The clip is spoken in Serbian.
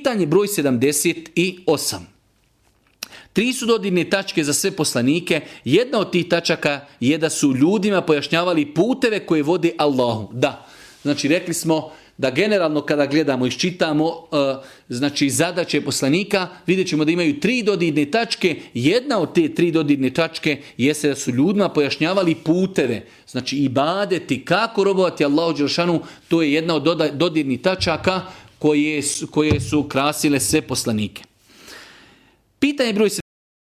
Pitanje broj 78. 3 su dodirne tačke za sve poslanike. Jedna od tih tačaka je da su ljudima pojašnjavali puteve koje vode Allahu. Da, znači rekli smo da generalno kada gledamo, iščitamo znači zadaće poslanika, vidjet ćemo da imaju 3 dodirne tačke. Jedna od te 3 dodirne tačke jeste da su ljudima pojašnjavali puteve. Znači ibadeti, kako robovati Allahu dželešanu, to je jedna od dodirnih tačaka koje su krasile sve poslanike. Pitanje broj